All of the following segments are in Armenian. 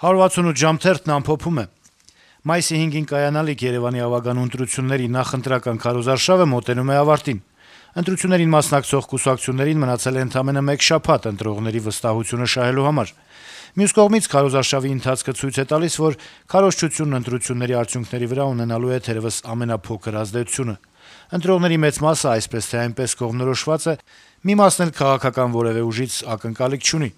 168 ժամ թերթն ամփոփում է. - Մայիսի 5-ին կայանալիք Երեւանի ավագանու ընտրությունների նախընտրական քարոզարշավը մոտենում է ավարտին։ Ընտրություններին մասնակցող կուսակցություններին մնացել է ընդամենը մեկ շաբաթ ընտրողների վստահությունը շահելու համար։ Մյուս կողմից քարոզարշավի ընթացքը ցույց է տալիս, որ քարոզչությունն ընտրությունների արդյունքների վրա ունենալու է թերեւս ամենափոքր ազդեցությունը։ Ընտրողների մեծ մասը այսպես թե այնպես կողմնորոշված է, մի մասն էլ քաղաքական որեւէ ուժից ակնկալիք չունի։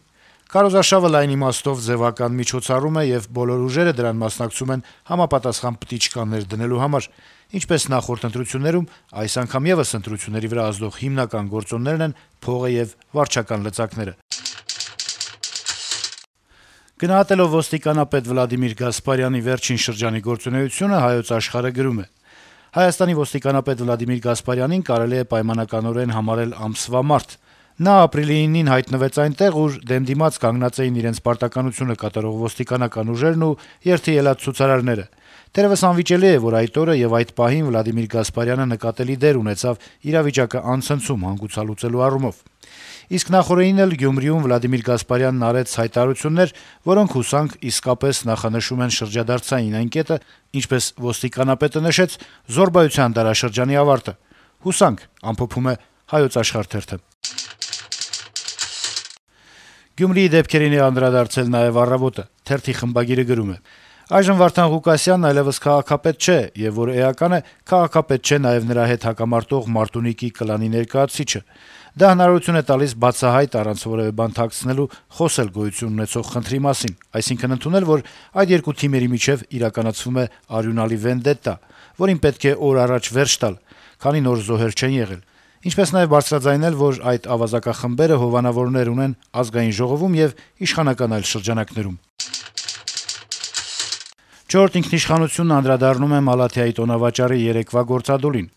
Քարոզարշավը լայն իմաստով ձեւական միջոցառում է եւ բոլոր ուժերը դրան մասնակցում են համապատասխան պտիչկաներ դնելու համար։ Ինչպես նախորդ ընտրություններում, այս անգամ եւս ընտրությունների վրա ազդող հիմնական գործոններն են փողը եւ վարչական լծակները։ Գնահատելով ոստիկանապետ Վլադիմիր Գասպարյանի վերջին շրջանի գործունեությունը, Հայոց Աշխարհը գրում է. - Հայաստանի ոստիկանապետ Վլադիմիր Գասպարյանին կարելի է պայմանականորեն համարել ամսվա մարդ։ Նա ապրիլի 9-ին հայտնվեց այնտեղ, ուր դեմ դիմաց կանգնած էին իրենց պարտականությունը կատարող ոստիկանական ուժերն ու երթի ելած ցուցարարները։ Թերեւս անվիճելի է, որ այդ օրը եւ այդ պահին Վլադիմիր Գասպարյանը նկատելի դեր ունեցավ իրավիճակը անցնցում հանգուցալուծելու առումով։ Իսկ նախորդին էլ Գյումրիում Վլադիմիր Գասպարյանն արեց հայտարարություններ, որոնք հուսանք իսկապես նախանշում են շրջադարձային այն կետը, ինչպես ոստիկանապետը նշեց, զոռբայության դարաշրջանի ավարտը։ Հուսանք, ամփոփում է Հայոց Աշխարհ թերթը։ Գյումրիի դեպքերին է անդրադարձել նաեւ «Առավոտը»։ Թերթի խմբագիրը գրում է. - Այժմ Վարդան Ղուկասյանն այլեւս քաղաքապետ չէ, եւ որ էական է, քաղաքապետ չէ նաեւ նրա հետ հակամարտող Մարտունիկի կլանի ներկայացուցիչը։ Դա հնարավորություն է տալիս բացահայտ, առանց որեւէ բան թաքցնելու, խոսել գոյություն ունեցող խնդրի մասին, այսինքն ընդունել, որ այդ երկու թիմերի միջեւ իրականացվում է արյունալի վենդետա, որին պետք է օր առաջ վերջ տալ, քանի նոր զոհեր չեն եղել։ Ինչպես նաեւ բարձրաձայնել, որ այդ ավազակախմբերը հովանավորներ ունեն Ազգային ժողովում եւ իշխանական այլ շրջանակներում։ «Չորրորդ ինքնիշխանությունն» անդրադառնում է Մալաթիայի տոնավաճառի երեկվա գործադուլին։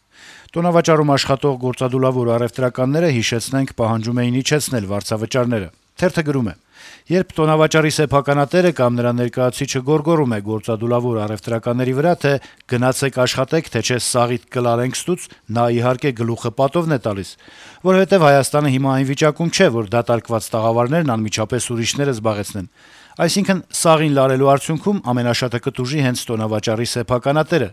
Տոնավաճառում աշխատող գործադուլավոր առեւտրականները, հիշեցնենք, պահանջում էին իջեցնել վարձավճարները։ Թերթը գրում է. - Երբ տոնավաճառի սեփականատերը կամ նրա ներկայացուցիչը գոռգոռում է գործադուլավոր առեւտրականների վրա, թե գնացեք աշխատեք, թե չէ սաղիթ կլարենք ստուց, նա իհարկե գլուխը պատովն է տալիս, որովհետեւ Հայաստանը հիմա այն վիճակում չէ, որ դատարկված տաղավարներն անմիջապես ուրիշները զբաղեցնեն։ Այսինքն սաղին լարելու արդյունքում ամենաշատը կտուժի հենց տոնավաճառի սեփականատերը։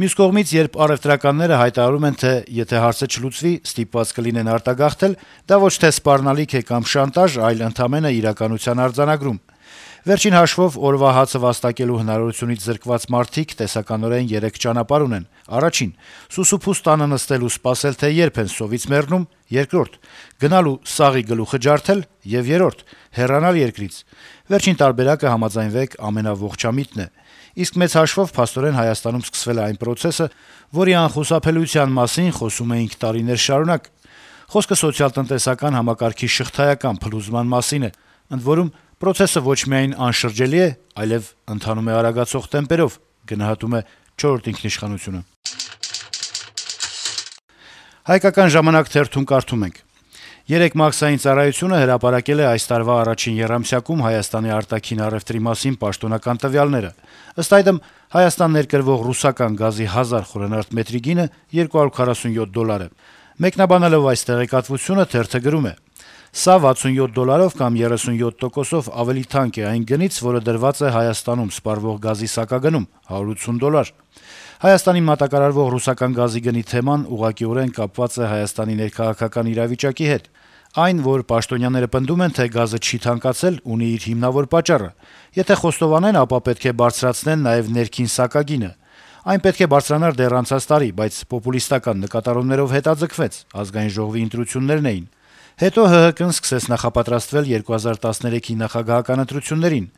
Մյուս կողմից, երբ առեւտրականները հայտարարում են, թե եթե հարցը չլուծվի, ստիպված կլինեն արտագաղթել, դա ոչ թե սպառնալիք է կամ շանտաժ, այլ ընդամենը իրականության արձանագրում։ Վերջին հաշվով օրվա հացը վաստակելու հնարավորությունից զրկված մարդիկ տեսականորեն 3 ճանապարհ ունեն. առաջին՝ սուսուփուս տանը նստել ու սպասել, թե երբ են սովից մեռնում, երկրորդ՝ գնալ ու սաղի գլուխը ջարդել, եւ երրորդ՝ հեռանալ երկրից։ Վերջին տարբերակը, համաձայնվեք, ամենաողջամիտն է։ Իսկ մեծ հաշվով փաստորեն Հայաստանում սկսվել է այն պրոցեսը, որի անխուսափելիության մասին խոսում էինք տարիներ շարունակ։ Խոսքը սոցիալ-տնտեսական համակարգի շղթայական փլուզման մասին է, ընդ որում պրոցեսը ոչ միայն անշրջելի է, այլեւ ընթանում է արագացող տեմպերով, գնահատում է «Չորրորդ ինքնիշխանությունը»։ «Հայկական ժամանակ» թերթում կարդում ենք. - Երեկ Մաքսային ծառայությունը հրապարակել է այս տարվա առաջին եռամսյակում Հայաստանի արտաքին առեւտրի մասին պաշտոնական տվյալները։ Ըստ այդմ, Հայաստան ներկրվող ռուսական գազի 1000 խմ մետրի գինը $247 է։ Մեկնաբանելով այս տեղեկատվությունը, թերթը գրում է. - Սա $67 կամ 37%-ով ավելի թանկ է այն գնից, որը դրված է Հայաստանում սպառվող գազի սակագնում՝ $180։ Հայաստանին մատակարարվող ռուսական գազի գնի թեման ուղղակիորեն կապված է Հայաստանի ներքաղաքական իրավիճակի հետ։ Այն, որ պաշտոնյաները պնդում են, թե գազը չի թանկացել, ունի իր հիմնավոր պատճառը։ Եթե խոստովանեն, ապա պետք է բարձրացնեն նաեւ ներքին սակագինը։ Այն պետք է բարձրանար դեռ անցած տարի, բայց պոպուլիստական նկատառումներով հետաձգվեց, Ազգային ժողովի ընտրություններն էին։ Հետո ՀՀԿ-ն սկսեց նախապատրաստվել 2013-ի նախագահական ընտրություններին։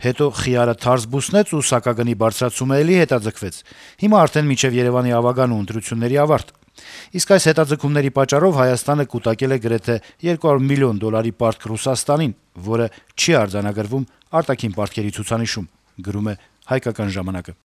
Հետո խիարը թարս բուսնեց ու սակագնի բարձրացումը էլի հետաձգվեց։ Հիմա արդեն մինչեւ Երեւանի ավագանու ընտրությունների ավարտ։ Իսկ այս հետաձգումների պատճառով Հայաստանը կուտակել է գրեթե $200 միլիոն պարտք Ռուսաստանին, որը չի արձանագրվում արտաքին պարտքերի ցուցանիշում, գրում է «Հայկական ժամանակը»։